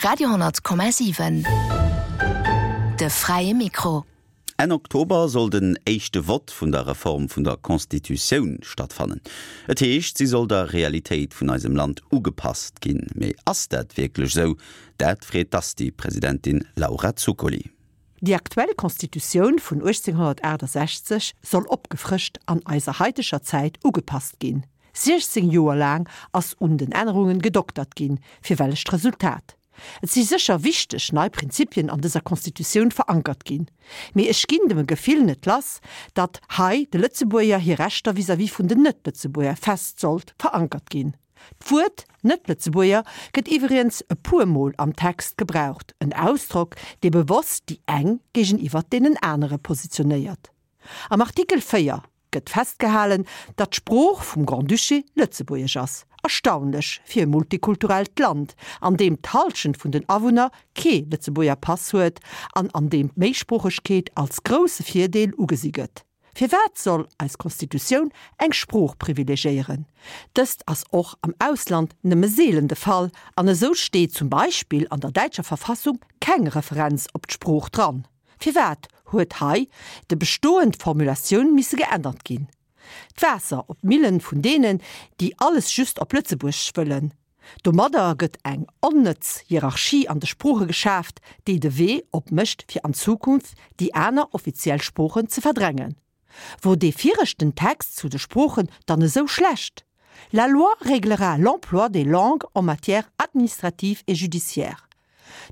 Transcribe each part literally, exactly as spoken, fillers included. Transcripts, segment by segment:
Radio honnert Komma siwen, De fräie Mikro. Enn Oktober soll den éischte Vott vun der Reform vun der Constitutioun stattfannen. Et heescht, si soll der Realitéit vun eisem Land ugepasst ginn. Mee ass dat wierklech esou? Dat freet d'Asti-Presidentin Laura Zuccoli. Déi aktuell Constitutioun vun uechtzénghonnertaachtasechzeg soll opgefrëscht an eiser haiteger Zäit ugepasst ginn. siechzéng Joer laang ass un den Ännerungen gedoktert ginn, fir wellecht Resultat? Et si sécher wichteg nei Prinzipien an dëser Constitutioun verankert ginn, mee ech ginn dem Gefill net lass, datt hei de Lëtzebuerger hir Rechter vis-à-vis vun den Net-Lëtzebuerger fest sollt verankert ginn. D'Wuert Net-Lëtzebuerger gëtt iwwregens e puer Mol am Text gebraucht, en Ausdrock, dee bewosst déi eng géigeniwwer deenen anere positionéiert. Am Artikel véier gëtt festgehalen, datt d'Sprooch vum Grand-Duché Lëtzebuergesch ass. Erstaunlech fir e multikulturellt Land, an deem d'Hallschent vun den Awunner kee Lëtzebuerger Pass huet an an deem d'Méisproochegkeet als grousse Virdeel ugesi gëtt. Firwat soll eis Constitutioun eng Sprooch privilegiéieren? Dëst ass och am Ausland nëmme seelen de Fall an esou steet zum Beispill an der däitscher Verfassung keng Referenz op d'Sprooch dran. Firwat huet hei de bestoend Formulatioun misse geännert ginn? D'Waasser op d'Millen vun deenen, déi alles just op Lëtzebuerg wëllen. Domadder gëtt eng onnëtz Hierarchie an de Sprooche geschaaft, déi de Wee opmécht fir an Zukunft déi aner offiziell Sproochen ze verdrängen. Wor dee viregten Text zu de Sproochen dann esou schlecht? La loi réglera l'emploi des langues en matière administrative et judiciaire.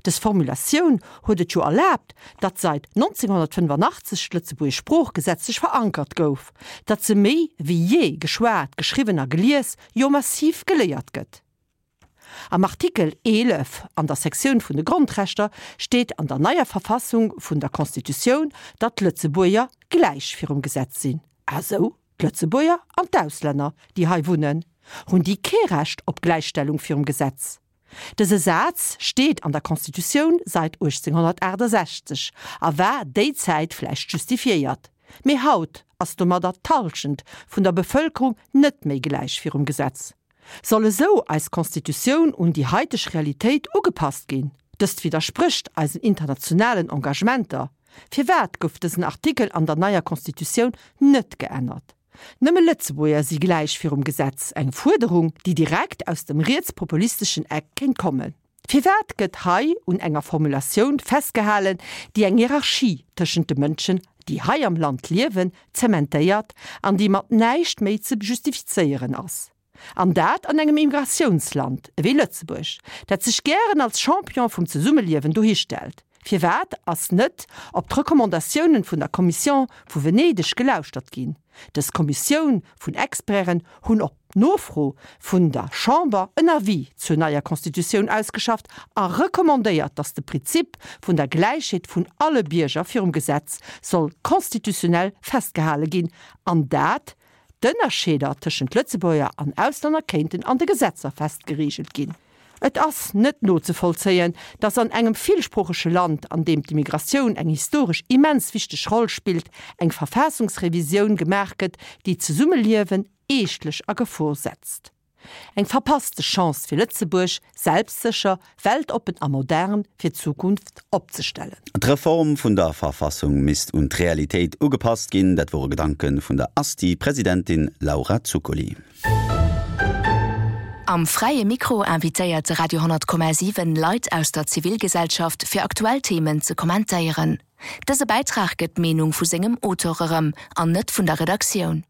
Dës Formulatioun huet et jo erlaabt, datt seit nonzénghonnertfënnefanaachtzeg d'lëtzebuergesch Sprooch gesetzlech verankert gouf, datt se méi wéi jee geschwat, geschriwwen a gelies, jo massiv geléiert gëtt. Am Artikel eelef an der Sektioun vun de Grondrechter steet an der neier Verfassung vun der Constitutioun, datt d'Lëtzebuerger gläich virum Gesetz sinn. Ah sou, d'Lëtzebuerger an d'Auslänner, déi hei wunnen, hunn déi kee Recht op Gläichstellung virum Gesetz? Dëse Saz steet an der Constitutioun seit uechtzénghonnertaachtasechzeg a war déi Zäit vläicht justifiéiert. Mee haut ass domadder d'Hallschent vun der Bevëlkerung net méi gläich virum Gesetz. Soll esou eis Constitutioun un déi haiteg Realitéit ugepasst ginn? Dëst widdersprécht eisen internationalen Engagementer. Firwat gouf dësen Artikel an der neier Constitutioun net geännert? Nëmme Lëtzebuerger si gläich virum Gesetz, eng Fuerderung, déi direkt aus dem rietspopulisteschen Eck kéint kommen. Firwat gëtt hei un enger Formulatioun festgehalen, déi eng Hierarchie tëschent de Mënschen, déi hei am Land liewen, zementéiert an déi mat näischt méi ze justifizéieren ass? An dat an engem Immigratiounsland ewéi Lëtzebuerg, dat sech gären als Champion vum Zesummeliewen dohistellt. Firwat ass net op d'Recommandatiounen vun der Commission vu Venedeg gelauschtert ginn? Dës Kommissioun vun Experten hunn op Nofro vun der Chamber en Avis zur neier Constitutioun ausgeschafft a recommandéiert, datt de Prinzip vun der Gläichheet vun alle Bierger virum Gesetz soll constitutionnel festgehale ginn an dat D'Ënnerscheeder tëschent Lëtzebuerger an Auslänner kéinten an de Gesetzer fest gereegelt ginn. Et ass net nozevollzéien, datt an engem villsproochege Land, an deem d'Immigratioun eng historesch immens wichteg Roll spillt, eng Verfaassungsrevisioun gemaach gëtt, déi d'Zesummeliewen eeschtlech a Gefor setzt. Eng verpasste Chance fir Lëtzebuerg, selbstsécher, weltoppen a modern fir d'Zukunft opzestellen. D'Reform vun der Verfassung misst un d'Realitéit ugepasst ginn, dat wore Gedanke vun der Asti-Presidentin Laura Zuccoli. Am Fräie Mikro invitéiert de Radio honnert Komma siwen Leit aus der Zivilgesellschaft fir aktuell Themen ze kommentéieren. Dëse Bäitrag gëtt d'Meenung vu sengem Auteur erëm an net vun der Redaktioun.